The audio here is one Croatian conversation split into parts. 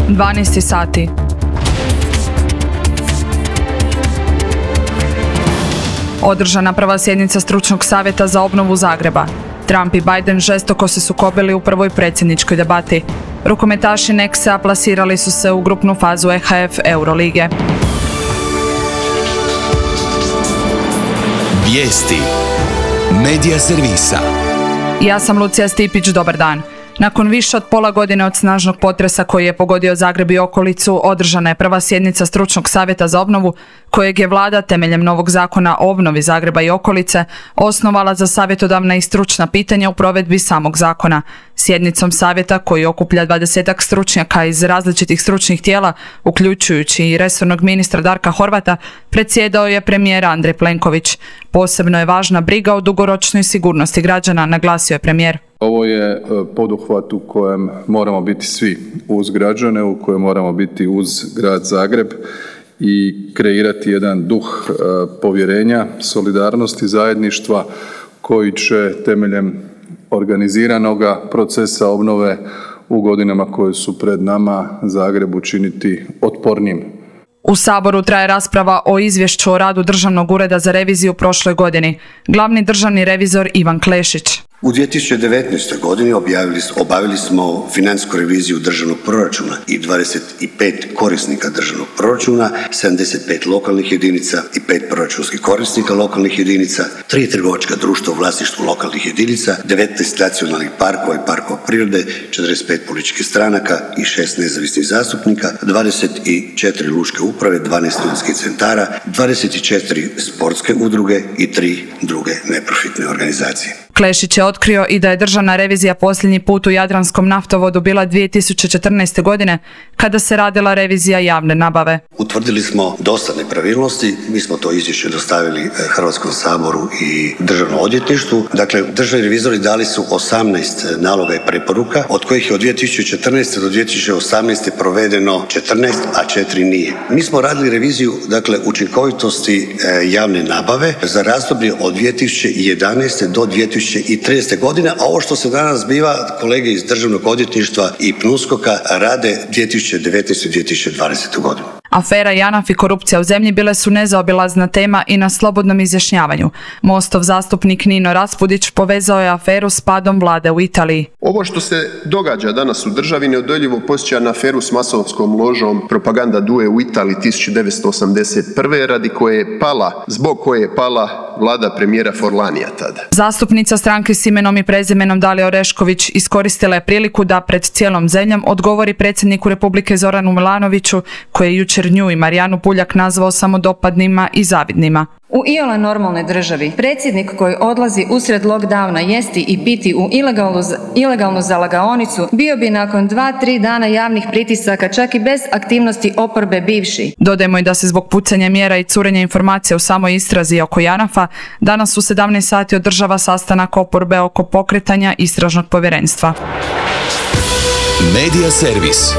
12 sati. Održana prva sjednica stručnog savjeta za obnovu Zagreba. Trump i Biden žestoko se sukobili u prvoj predsjedničkoj debati. Rukometaši Nexa plasirali su se u grupnu fazu EHF Eurolige. Vijesti. Medija servisa. Ja sam Lucija Stipić, dobar dan. Nakon više od pola godine od snažnog potresa koji je pogodio Zagreb i okolicu, održana je prva sjednica stručnog savjeta za obnovu, kojeg je vlada temeljem novog zakona o obnovi Zagreba i okolice osnovala za savjetodavna i stručna pitanja u provedbi samog zakona. Sjednicom savjeta, koji okuplja 20-ak stručnjaka iz različitih stručnih tijela, uključujući i resornog ministra Darka Horvata, predsjedao je premijer Andrej Plenković. Posebno je važna briga o dugoročnoj sigurnosti građana, naglasio je premijer. Ovo je poduhvat u kojem moramo biti svi uz građane, u kojem moramo biti uz grad Zagreb i kreirati jedan duh povjerenja, solidarnosti, zajedništva koji će temeljem organiziranoga procesa obnove u godinama koje su pred nama Zagreb učiniti otpornijim. U Saboru traje rasprava o izvješću o radu Državnog ureda za reviziju prošloj godini. Glavni državni revizor Ivan Klešić. U 2019. godini obavili smo financijsku reviziju državnog proračuna i 25 korisnika državnog proračuna, 75 lokalnih jedinica i 5 proračunskih korisnika lokalnih jedinica, 3 trgovačka društva u vlasništvu lokalnih jedinica, 19 nacionalnih parkova i parkova prirode, 45 političkih stranaka i 6 nezavisnih zastupnika, 24 lučke uprave, 12 studentskih centara, 24 sportske udruge i 3 druge neprofitne organizacije. Klešić je otkrio i da je državna revizija posljednji put u Jadranskom naftovodu bila 2014. godine, kada se radila revizija javne nabave. Utvrdili smo dosta nepravilnosti, mi smo to izvješće dostavili Hrvatskom saboru i Državnom odvjetništvu. Dakle, državni revizori dali su 18 naloga i preporuka, od kojih je od 2014. do 2018. provedeno 14, a 4 nije. Mi smo radili reviziju, dakle, učinkovitosti javne nabave za razdoblje od 2011. do 2013. godine, a ovo što se danas zbiva, kolege iz Državnog odvjetništva i PNUSKOK-a rade 2019. i 2020. godinu. Afera JANAF i korupcija u zemlji bile su nezaobilazna tema i na slobodnom izjašnjavanju. Mostov zastupnik Nino Raspudić povezao je aferu s padom vlade u Italiji. Ovo što se događa danas u državi neodoljivo podsjeća na aferu s masonskom ložom Propaganda Due u Italiji 1981. zbog koje je pala vlada premijera Forlanija tada. Zastupnica stranke s imenom i prezimenom Dalija Orešković iskoristila je priliku da pred cijelom zemljom odgovori predsjedniku Republike Zoranu Milanoviću, koji je jučer nju i Marijanu Puljak nazvao samodopadnima i zavidnima. U iole normalnoj državi predsjednik koji odlazi usred lockdowna jesti i piti u ilegalnu zalagaonicu bio bi nakon 2-3 dana javnih pritisaka čak i bez aktivnosti oporbe bivši. Dodajmo i da se zbog pucanja mjera i curenja informacija u samoj istrazi oko JANAF-a danas u 17 sati održava sastanak oporbe oko pokretanja istražnog povjerenstva. Medija servis.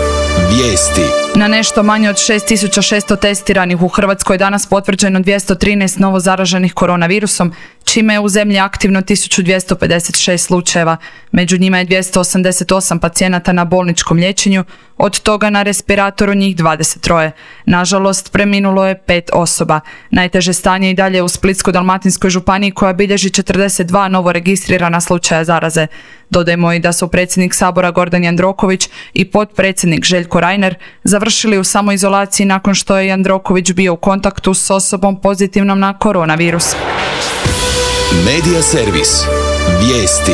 Vijesti. Na nešto manje od 6600 testiranih u Hrvatskoj danas potvrđeno 213 novo zaraženih koronavirusom, čime je u zemlji aktivno 1256 slučajeva. Među njima je 288 pacijenata na bolničkom liječenju, od toga na respiratoru njih 23. Nažalost, preminulo je 5 osoba. Najteže stanje i dalje u Splitsko-dalmatinskoj županiji koja bilježi 42 novo registrirana slučaja zaraze. Dodajmo i da su predsjednik Sabora Gordan Jandroković i potpredsjednik Željko Reiner završili u samoizolaciji nakon što je Jandroković bio u kontaktu s osobom pozitivnom na koronavirus. Medija servis. Vijesti.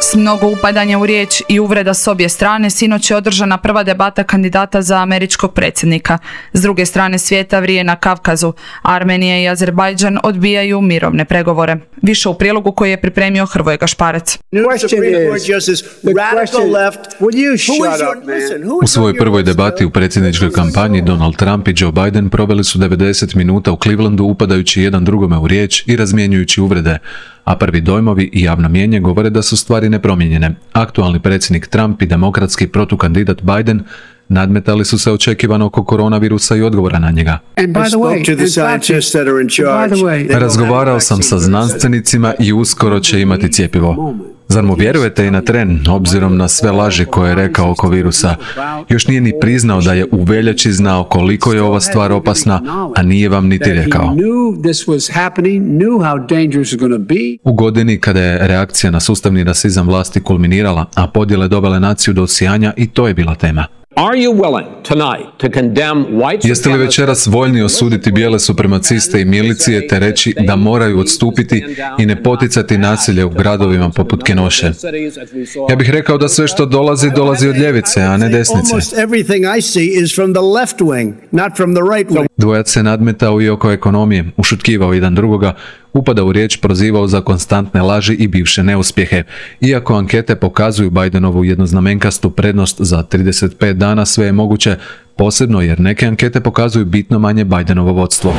S mnogo upadanja u riječ i uvreda s obje strane, sinoć je održana prva debata kandidata za američkog predsjednika. S druge strane svijeta vrije na Kavkazu. Armenija i Azerbajdžan odbijaju mirovne pregovore. Više u prilogu koji je pripremio Hrvoje Gašparec. U svojoj prvoj debati u predsjedničkoj kampanji Donald Trump i Joe Biden proveli su 90 minuta u Clevelandu upadajući jedan drugome u riječ i razmjenjujući uvrede, a prvi dojmovi i javno mnijenje govore da su stvari nepromijenjene. Aktualni predsjednik Trump i demokratski protukandidat Biden nadmetali su se očekivano oko koronavirusa i odgovora na njega. Razgovarao sam sa znanstvenicima i uskoro će imati cjepivo. Zar mu vjerujete i na tren, obzirom na sve laži koje je rekao oko virusa? Još nije ni priznao da je u veljači znao koliko je ova stvar opasna, a nije vam niti rekao. U godini kada je reakcija na sustavni rasizam vlasti kulminirala, a podjele dovele naciju do osijanja, i to je bila tema. Jeste li večeras voljni osuditi bijele supremaciste i milicije te reći da moraju odstupiti i ne poticati nasilje u gradovima poput Kenoše? Ja bih rekao da sve što dolazi od ljevice, a ne desnice. Dvojac se nadmetao i oko ekonomije, ušutkivao jedan drugoga, upada u riječ, prozivao za konstantne laži i bivše neuspjehe. Iako ankete pokazuju Bidenovu jednoznamenkastu prednost za 35 dana, sve je moguće, posebno jer neke ankete pokazuju bitno manje Bidenovo vodstvo.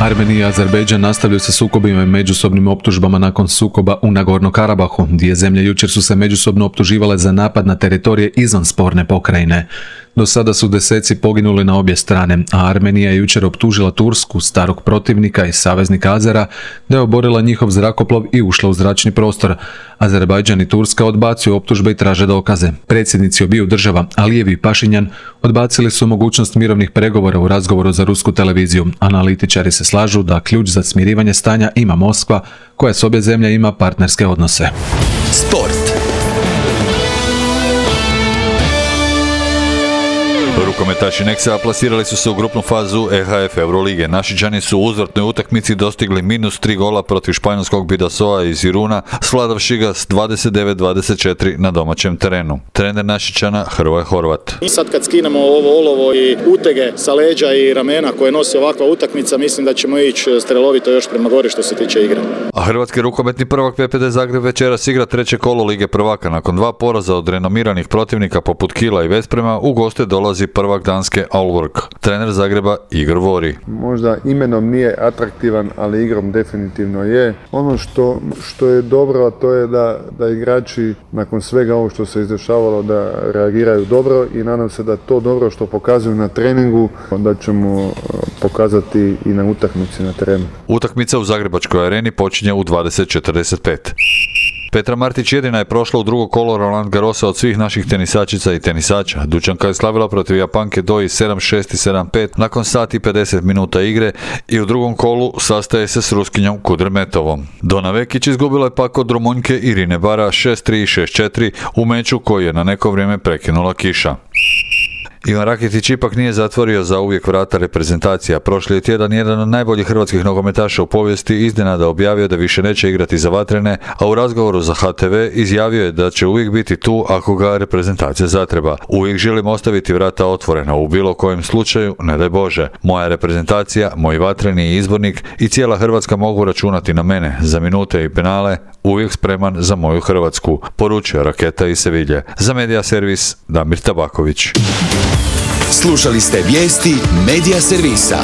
Armenija i Azerbejdžan nastavljaju sa sukobima i međusobnim optužbama nakon sukoba u Nagorno-Karabahu. Dvije zemlje jučer su se međusobno optuživale za napad na teritorije izvan sporne pokrajine. Do sada su deseci poginuli na obje strane, a Armenija je jučer optužila Tursku, starog protivnika i saveznika Azera, da je oborila njihov zrakoplov i ušla u zračni prostor. Azerbajdžan i Turska odbacuju optužbe i traže dokaze. Predsjednici obiju država, Alijev i Pašinjan, odbacili su mogućnost mirovnih pregovora u razgovoru za rusku televiziju. Analitičari se slažu da ključ za smirivanje stanja ima Moskva, koja s obje zemlje ima partnerske odnose. Sport. Rukometaši Nexa plasirali su se u grupnu fazu EHF Eurolige. Našičani su u uzvratnoj utakmici dostigli -3 gola protiv španjolskog Bidasoa iz Iruna, svladavši ga s 29-24 na domaćem terenu. Trener Našičana Hrvoje Horvat. Sad kad skinemo ovo olovo i utege sa leđa i ramena koje nosi ovakva utakmica, mislim da ćemo ići strelovito još prema gore što se tiče igre. A hrvatski rukometni prvak PPD Zagreb večeras igra treće kolo Lige prvaka. Nakon 2 poraza od renomiranih protivnika poput Kila i Vesprema, u goste dolazi prvak danske Aalborg. Trener Zagreba Igor Vori. Možda imenom nije atraktivan, ali igrom definitivno je. Ono što je dobro, a to je da igrači nakon svega ovo što se izdešavalo da reagiraju dobro i nadam se da to dobro što pokazuju na treningu da ćemo pokazati i na utakmici na terenu. Utakmica u Zagrebačkoj areni počinje u 20:45. Petra Martić jedina je prošla u drugo kolo Roland Garrosa od svih naših tenisačica i tenisača. Dučanka je slavila protiv Japanke Doi 7-6 i 7-5 nakon sati 50 minuta igre i u drugom kolu sastaje se s Ruskinjom Kudrmetovom. Dona Vekić izgubila je pak od Rumunjke Irine Bara 6-3 i 6-4 u meču koji je na neko vrijeme prekinula kiša. Ivan Rakitić ipak nije zatvorio za uvijek vrata reprezentacija. Prošli je tjedan jedan od najboljih hrvatskih nogometaša u povijesti iznenada objavio da više neće igrati za Vatrene, a u razgovoru za HTV izjavio je da će uvijek biti tu ako ga reprezentacija zatreba. Uvijek želim ostaviti vrata otvorena u bilo kojem slučaju, ne daj Bože. Moja reprezentacija, moj Vatreni izbornik i cijela Hrvatska mogu računati na mene za minute i penale, uvijek spreman za moju Hrvatsku, poručio Raketa iz Sevilje. Za Media Servis Damir Tabaković. Slušali ste vijesti Media Servisa.